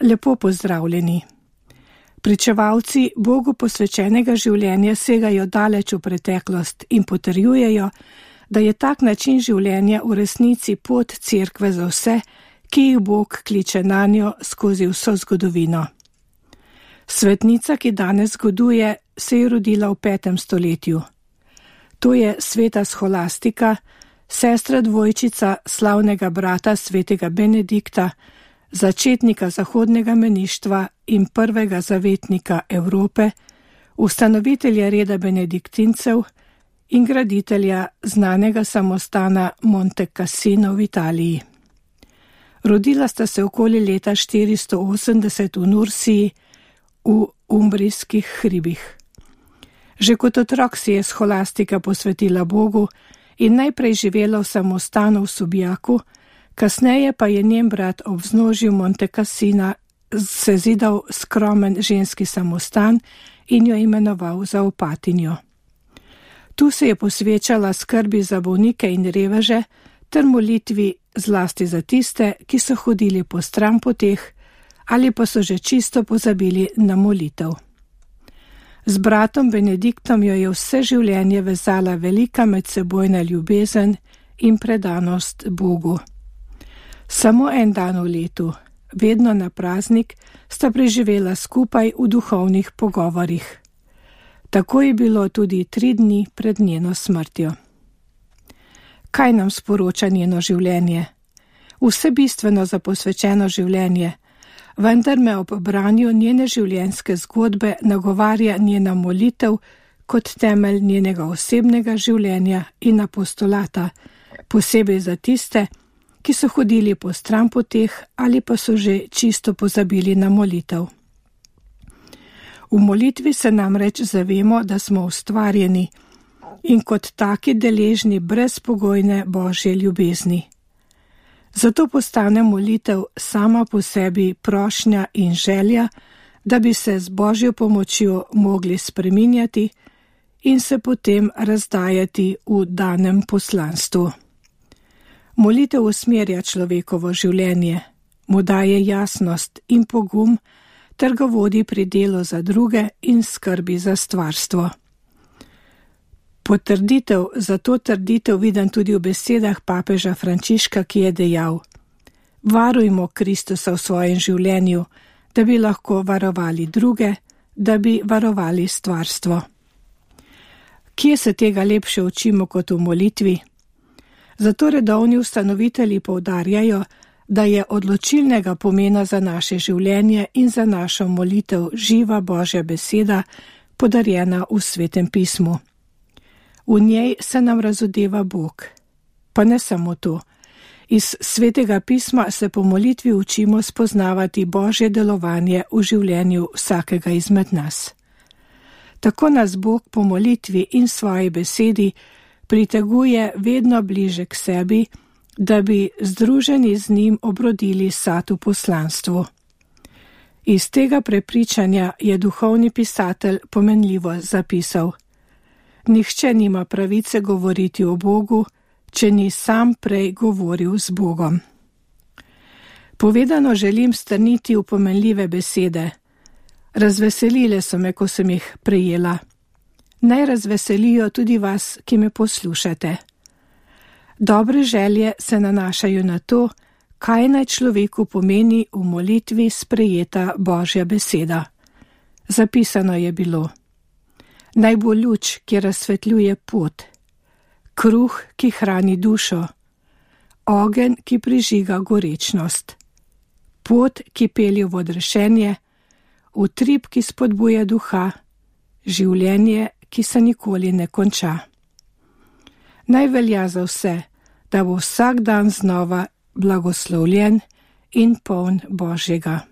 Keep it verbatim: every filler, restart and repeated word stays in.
Lepo pozdravljeni. Pričevalci Bogu posvečenega življenja segajo daleč v preteklost in potrjujejo, da je tak način življenja v resnici pot cerkve za vse, ki jih Bog kliče nanjo skozi vso zgodovino. Svetnica, ki danes zgoduje, se je rodila v petem stoletju. To je sveta Scholastika, sestra dvojčica slavnega brata svetega Benedikta, začetnika zahodnega meništva in prvega zavetnika Evrope, ustanovitelja reda benediktincev in graditelja znanega samostana Monte Cassino v Italiji. Rodila sta se okoli leta štiristo osemdeset v Nursiji v umbrijskih hribih. Že kot otrok si je Scholastika posvetila Bogu in najprej živela v samostanu v Subjaku, kasneje pa je njen brat ob vznožju Monte Cassina sezidal skromen ženski samostan in jo imenoval za opatinjo. Tu se je posvečala skrbi za bolnike in reveže ter molitvi zlasti za tiste, ki so hodili po stranpoteh ali pa so že čisto pozabili na molitev. Z bratom Benediktom jo je vse življenje vezala velika medsebojna ljubezen in predanost Bogu. Samo en dan v letu, vedno na praznik, sta preživela skupaj v duhovnih pogovorih. Tako je bilo tudi tri dni pred njeno smrtjo. Kaj nam sporoča njeno življenje? Vse bistveno za posvečeno življenje, vendar me ob branju njene življenjske zgodbe nagovarja njena molitev kot temelj njenega osebnega življenja in apostolata, posebej za tiste, ki so hodili po stranpoteh ali pa so že čisto pozabili na molitev. V molitvi se namreč zavemo, da smo ustvarjeni in kot taki deležni brezpogojne Božje ljubezni. Zato postane molitev sama po sebi prošnja in želja, da bi se z Božjo pomočjo mogli spreminjati in se potem razdajati v danem poslanstvu. Molitev usmerja človekovo življenje, mu daje jasnost in pogum ter ga vodi pri delu za druge in skrbi za stvarstvo. Potrditev za to trditev vidim tudi v besedah papeža Frančiška, ki je dejal: varujmo Kristusa v svojem življenju, da bi lahko varovali druge, da bi varovali stvarstvo. Kje se tega lepše učimo kot v molitvi? Zato redovni ustanovitelji poudarjajo, da je odločilnega pomena za naše življenje in za našo molitev živa Božja beseda, podarjena v Svetem pismu. V njej se nam razodeva Bog. Pa ne samo to. Iz Svetega pisma se po molitvi učimo spoznavati Božje delovanje v življenju vsakega izmed nas. Tako nas Bog po molitvi in svoji besedi priteguje vedno bliže k sebi, da bi združeni z njim obrodili sad v poslanstvu. Iz tega prepričanja je duhovni pisatelj pomenljivo zapisal: nihče nima pravice govoriti o Bogu, če ni sam prej govoril z Bogom. Povedano želim strniti v pomenljive besede. Razveselile so me, ko sem jih prejela. Naj razveselijo tudi vas, ki me poslušate. Dobre želje se nanašajo na to, kaj naj človeku pomeni v molitvi sprejeta Božja beseda. Zapisano je bilo: naj bo luč, ki razsvetljuje pot, kruh, ki hrani dušo, ogenj, ki prižiga gorečnost, pot, ki pelje v odrešenje, utrip, ki spodbuja duha, življenje, ki se nikoli ne konča. Naj velja za vse, da bo vsak dan znova blagoslovljen in poln Božjega.